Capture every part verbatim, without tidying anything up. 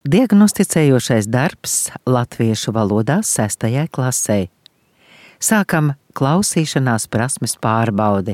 Diagnosticējošais darbs latviešu valodā sestajai klasei. Sākam klausīšanās prasmes pārbaudi.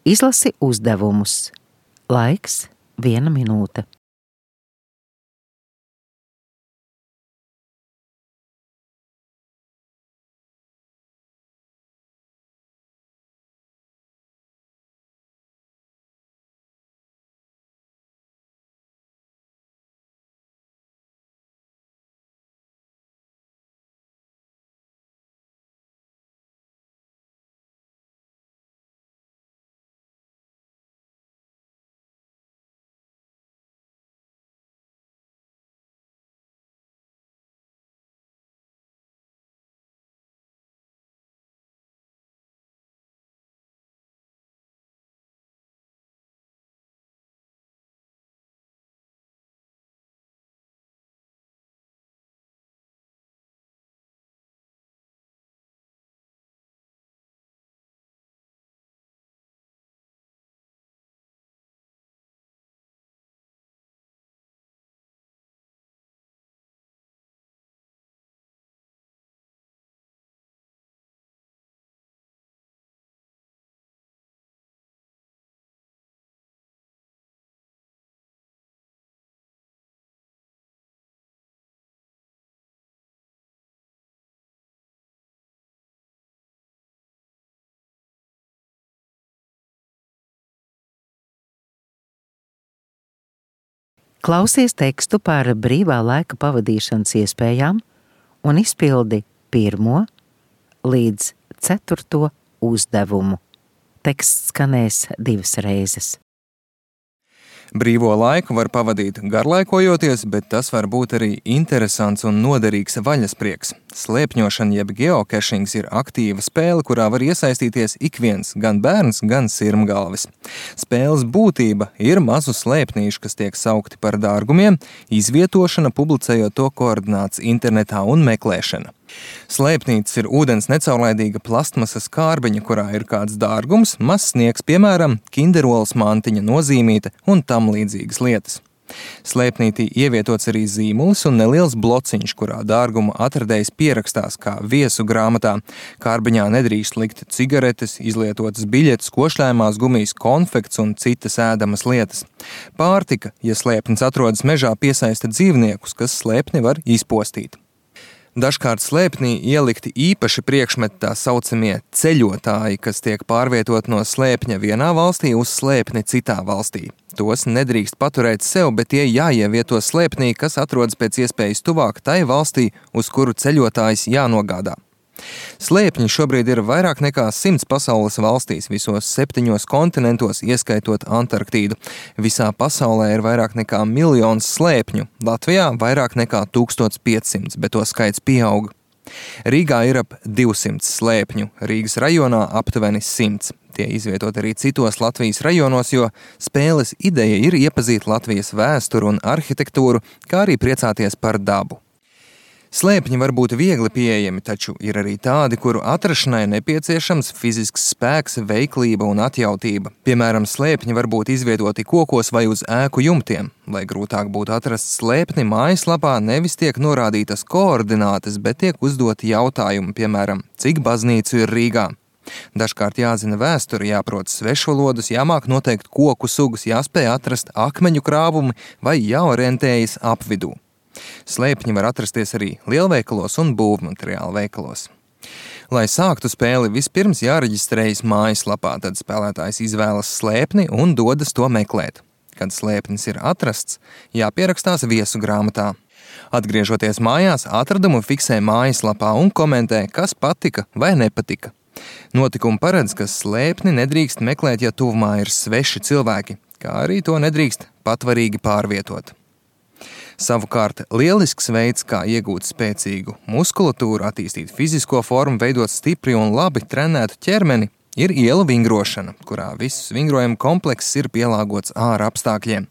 Izlasi uzdevumus. Laiks viena minūte. Klausies tekstu par brīvā laika pavadīšanas iespējām un izpildi pirmo līdz ceturto uzdevumu. Teksts skanēs divas reizes. Brīvo laiku var pavadīt garlaikojoties, bet tas var būt arī interesants un noderīgs vaļasprieks. Slēpņošana jeb geokešings ir aktīva spēle, kurā var iesaistīties ik viens, gan bērns, gan sirmgalvis. Spēles būtība ir mazu slēpnīšu, kas tiek saukti par dārgumiem, izvietošana, publicējot to koordināts internetā un meklēšana. Slēpnītis ir ūdens necaurlaidīga plastmasas kārbiņa, kurā ir kāds dārgums, mazs sniegs, piemēram, kinderolas mantiņa nozīmīte un tam līdzīgas lietas. Slēpnītī ievietots arī zīmulis un neliels blociņš, kurā dārgumu atradējs pierakstās kā viesu grāmatā. Kārbiņā nedrīkst likt cigaretes, izlietotas biļetes, košļājumās gumijas, konfekts un citas ēdamas lietas. Pārtika, ja slēpnis atrodas mežā, piesaista dzīvniekus, kas slēpni var izpostīt. Dažkārt slēpnī ielikti īpaši priekšmeti, tā saucamie ceļotāji, kas tiek pārvietot no slēpņa vienā valstī uz slēpni citā valstī. Tos nedrīkst paturēt sev, bet tie jāievieto slēpnī, kas atrodas pēc iespējas tuvāk tai valstī, uz kuru ceļotājs jānogādā. Slēpņi šobrīd ir vairāk nekā simts pasaules valstīs, visos septiņos kontinentos, ieskaitot Antarktīdu. Visā pasaulē ir vairāk nekā miljons slēpņu, Latvijā vairāk nekā tūkstoš piecsimt, bet to skaits pieaug. Rīgā ir ap divsimt slēpņu, Rīgas rajonā aptuveni simts. Tie izvietot arī citos Latvijas rajonos, jo spēles ideja ir iepazīt Latvijas vēsturu un arhitektūru, kā arī priecāties par dabu. Slēpņi var būt viegli pieejami, taču ir arī tādi, kuru atrašanai nepieciešams fizisks spēks, veiklība un atjautība. Piemēram, slēpņi var būt izvietoti kokos vai uz ēku jumtiem. Lai grūtāk būtu atrast slēpni, mājaslapā nevis tiek norādītas koordinātes, bet tiek uzdoti jautājumi, piemēram, cik baznīcu ir Rīgā. Dažkārt jāzina vēsturi, jāprot svešvalodas, jāmāk noteikt koku sugas, jāspēj atrast akmeņu krāvumi vai jāorientējas apvidū. Slēpņi var atrasties arī lielveikalos un būvmateriālu veikalos. Lai sāktu spēli, vispirms jāreģistrējas mājaslapā, tad spēlētājs izvēlas slēpni un dodas to meklēt. Kad slēpnis ir atrasts, jāpierakstās viesu grāmatā. Atgriežoties mājās, atradumu fiksē mājaslapā un komentē, kas patika vai nepatika. Notikumi paredz, ka slēpni nedrīkst meklēt, ja tuvumā ir sveši cilvēki, kā arī to nedrīkst patvarīgi pārvietot. Savukārt, lielisks veids, kā iegūt spēcīgu muskulatūru, attīstīt fizisko formu, veidot stipri un labi trenētu ķermeni, ir ielu vingrošana, kurā viss vingrojuma komplekss ir pielāgots ārā apstākļiem.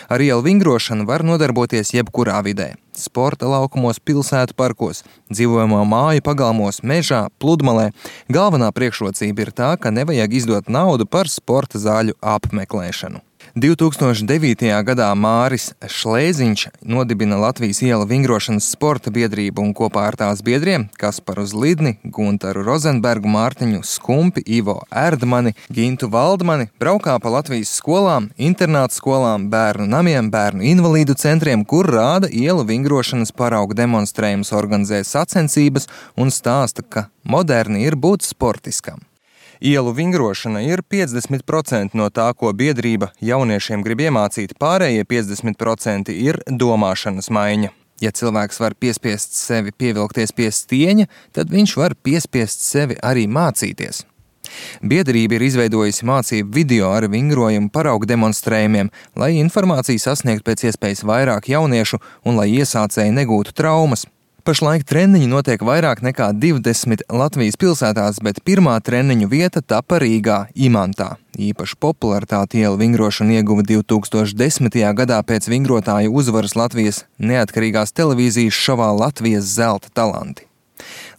Ar ielu vingrošanu var nodarboties jebkurā vidē – sporta laukumos, pilsētu parkos, dzīvojamo māju pagalmos, mežā, pludmalē. Galvenā priekšrocība ir tā, ka nevajag izdot naudu par sporta zāļu apmeklēšanu. divi tūkstoši devītajā gadā Māris Šlēziņš nodibina Latvijas ielu vingrošanas sporta biedrību un kopā ar tās biedriem Kasparu Zlidni, Guntaru Rozenbergu, Mārtiņu Skumpi, Ivo Erdmani, Gintu Valdmani braukā pa Latvijas skolām, internātu skolām, bērnu namiem, bērnu invalīdu centriem, kur rāda ielu vingrošanas paraugu demonstrējumus, organizē sacensības un stāsta, ka moderni ir būt sportiskam. Ielu vingrošana ir piecdesmit procenti no tā, ko biedrība jauniešiem grib iemācīt, pārējie piecdesmit procenti ir domāšanas maiņa. Ja cilvēks var piespiest sevi pievilkties pie stieņa, tad viņš var piespiest sevi arī mācīties. Biedrība ir izveidojusi mācību video ar vingrojumu paraugu demonstrējumiem, lai informāciju sasniegtu pēc iespējas vairāk jauniešu un lai iesācēji negūtu traumas. Pašlaik treniņi notiek vairāk nekā divdesmit Latvijas pilsētās, bet pirmā treniņu vieta tapa Rīgā, Imantā. Īpaši popularitāti ielu vingrošana ieguva divi tūkstoši desmitajā gadā pēc vingrotāju uzvaras Latvijas neatkarīgās televīzijas šovā Latvijas zelta talanti.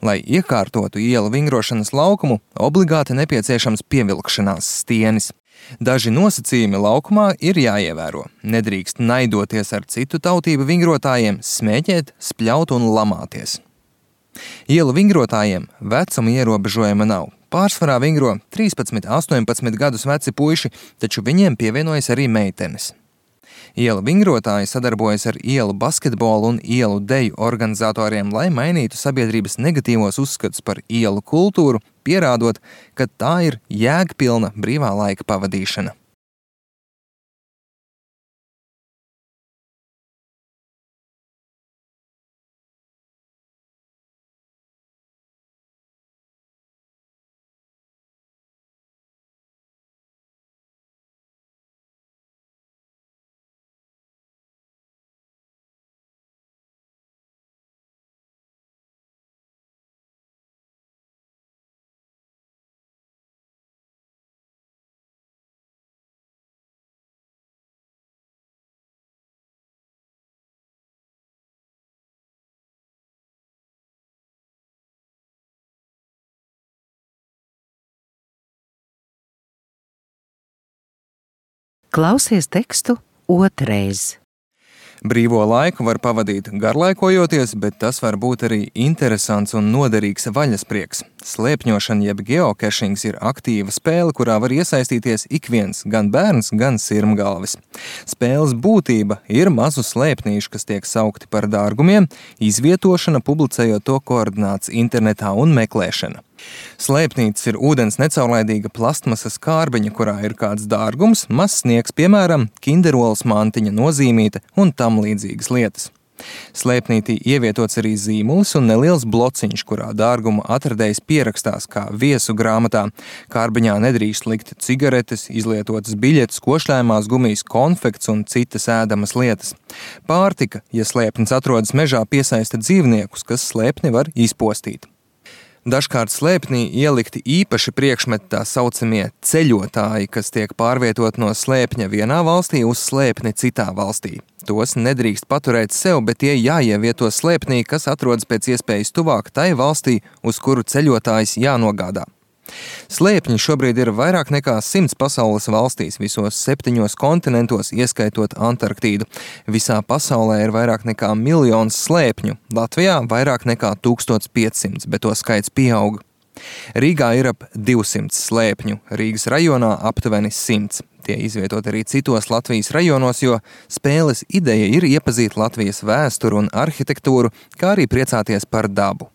Lai iekārtotu ielu vingrošanas laukumu, obligāti nepieciešams pievilkšanās stienis. Daži nosacījumi laukumā ir jāievēro. Nedrīkst naidoties ar citu tautību vingrotājiem, smēķēt, spļaut un lamāties. Ielu vingrotājiem vecuma ierobežojuma nav. Pārsvarā vingro trīspadsmit, astoņpadsmit gadus veci puiši, taču viņiem pievienojas arī meitenes. Ielu vingrotāji sadarbojas ar ielu basketbolu un ielu deju organizatoriem, lai mainītu sabiedrības negatīvos uzskatus par ielu kultūru, pierādot, ka tā ir jēgpilna brīvā laika pavadīšana. Klausies tekstu otrais. Brīvo laiku var pavadīt garlaikojoties, bet tas var būt arī interesants un noderīgs vaļasprieks. Slēpņošana jeb geokešings ir aktīva spēle, kurā var iesaistīties ik viens, gan bērns, gan sirmgalvis. Spēles būtība ir mazu slēpnīšu, kas tiek saukti par dārgumiem, izvietošana, publicējot to koordināts internetā un meklēšana. Slēpnītis ir ūdens necaurlaidīga plastmasas kārbiņa, kurā ir kāds dārgums, mazs sniegs, piemēram, kinderolas mantiņa, nozīmīte un tam līdzīgas lietas. Slēpnītī ievietots arī zīmulis un neliels blociņš, kurā dārgumu atradējs pierakstās kā viesu grāmatā. Kārbiņā nedrīkst likt cigaretes, izlietotas biļetes, košļājumās gumijas, konfekts un citas ēdamas lietas. Pārtika, ja slēpnis atrodas mežā, piesaista dzīvniekus, kas slēpni var izpostīt. Dažkārt slēpnī ielikti īpaši priekšmeti, tā saucamie ceļotāji, kas tiek pārvietot no slēpņa vienā valstī uz slēpni citā valstī. Tos nedrīkst paturēt sev, bet tie jāievieto slēpnī, kas atrodas pēc iespējas tuvāk tai valstī, uz kuru ceļotājs jānogādā. Slēpņi šobrīd ir vairāk nekā simts pasaules valstīs, visos septiņos kontinentos, ieskaitot Antarktīdu. Visā pasaulē ir vairāk nekā miljons slēpņu, Latvijā vairāk nekā tūkstoš piecsimt, bet to skaits pieaug. Rīgā ir ap divsimt slēpņu, Rīgas rajonā aptuveni simts. Tie izvietot arī citos Latvijas rajonos, jo spēles ideja ir iepazīt Latvijas vēsturu un arhitektūru, kā arī priecāties par dabu.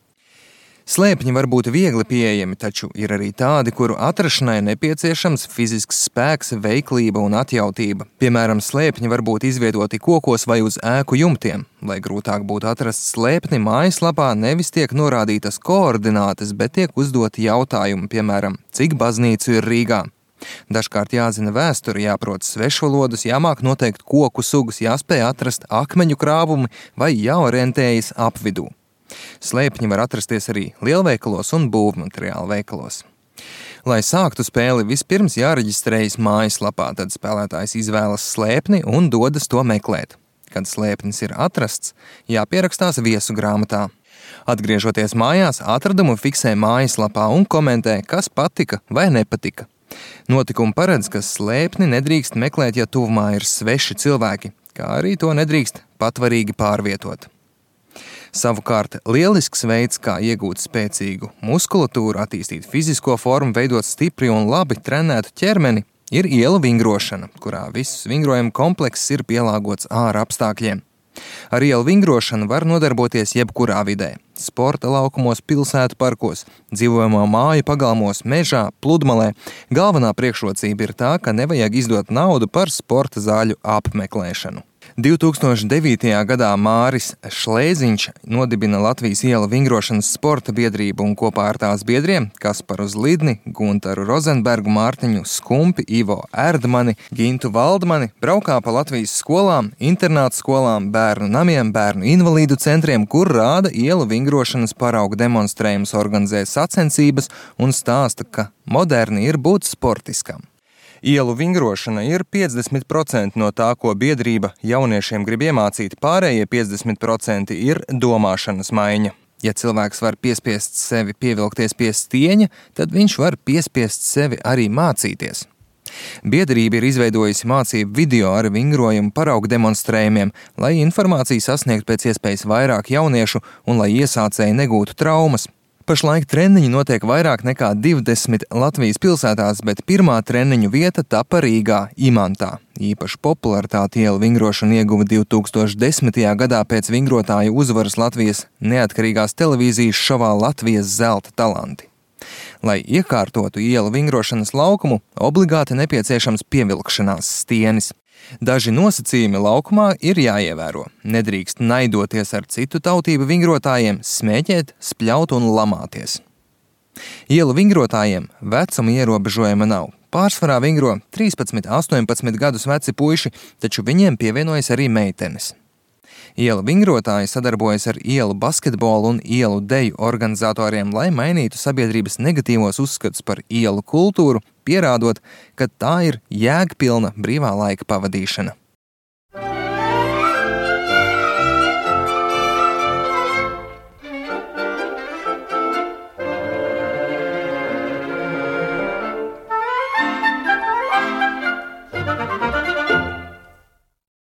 Slēpņi var būt viegli pieejami, taču ir arī tādi, kuru atrašanai nepieciešams fizisks spēks, veiklība un atjautība. Piemēram, slēpņi var būt izvietoti kokos vai uz ēku jumtiem. Lai grūtāk būtu atrast slēpni, mājaslapā nevis tiek norādītas koordinātes, bet tiek uzdoti jautājumi, piemēram, cik baznīcu ir Rīgā. Dažkārt jāzina vēsturi, jāprot svešvalodas, jāmāk noteikt koku sugas, jāspēj atrast akmeņu krāvumi vai jāorientējas apvidū. Slēpņi var atrasties arī lielveikalos un būvmateriālu veikalos. Lai sāktu spēli, vispirms jāreģistrējas mājaslapā, tad spēlētājs izvēlas slēpni un dodas to meklēt. Kad slēpnis ir atrasts, jāpierakstās viesu grāmatā. Atgriežoties mājās, atradumu fiksē mājaslapā un komentē, kas patika vai nepatika. Notikumi paredz, ka slēpni nedrīkst meklēt, ja tuvumā ir sveši cilvēki, kā arī to nedrīkst patvarīgi pārvietot. Savukārt, lielisks veids, kā iegūt spēcīgu muskulatūru, attīstīt fizisko formu, veidot stipri un labi trenētu ķermeni, ir ielu vingrošana, kurā viss vingrojuma komplekss ir pielāgots āra apstākļiem. Ar ielu vingrošanu var nodarboties jebkurā vidē – sporta laukumos, pilsētu parkos, dzīvojamo māju pagalmos, mežā, pludmalē. Galvenā priekšrocība ir tā, ka nevajag izdot naudu par sporta zāļu apmeklēšanu. divi tūkstoši devītajā gadā Māris Šlēziņš nodibina Latvijas ielu vingrošanas sporta biedrību un kopā ar tās biedriem Kasparu Zlidni, Guntaru Rozenbergu, Mārtiņu Skumpi, Ivo Erdmani, Gintu Valdmani braukā pa Latvijas skolām, internātu skolām, bērnu namiem, bērnu invalīdu centriem, kur rāda ielu vingrošanas paraugu demonstrējumus, organizē sacensības un stāsta, ka moderni ir būt sportiskam. Ielu vingrošana ir piecdesmit procenti no tā, ko biedrība jauniešiem grib iemācīt, pārējie piecdesmit procenti ir domāšanas maiņa. Ja cilvēks var piespiest sevi pievilkties pie stieņa, tad viņš var piespiest sevi arī mācīties. Biedrība ir izveidojusi mācību video ar vingrojumu paraugu demonstrējumiem, lai informāciju sasniegtu pēc iespējas vairāk jauniešu un lai iesācēji negūtu traumas. Pašlaik treniņi notiek vairāk nekā divdesmit Latvijas pilsētās, bet pirmā treniņu vieta tapa Rīgā, Imantā. Īpaši popularitāti ielu vingrošana ieguva divi tūkstoši desmitajā gadā pēc vingrotāju uzvaras Latvijas neatkarīgās televīzijas šovā Latvijas zelta talanti. Lai iekārtotu ielu vingrošanas laukumu, obligāti nepieciešams pievilkšanās stienis. Daži nosacījumi laukumā ir jāievēro. Nedrīkst naidoties ar citu tautību vingrotājiem, smēķēt, spļaut un lamāties. Ielu vingrotājiem vecuma ierobežojuma nav. Pārsvarā vingro trīspadsmit, astoņpadsmit gadus veci puiši, taču viņiem pievienojas arī meitenes. Ielu vingrotāji sadarbojas ar ielu basketbolu un ielu deju organizatoriem, lai mainītu sabiedrības negatīvos uzskatus par ielu kultūru, pierādot, ka tā ir jēgpilna brīvā laika pavadīšana.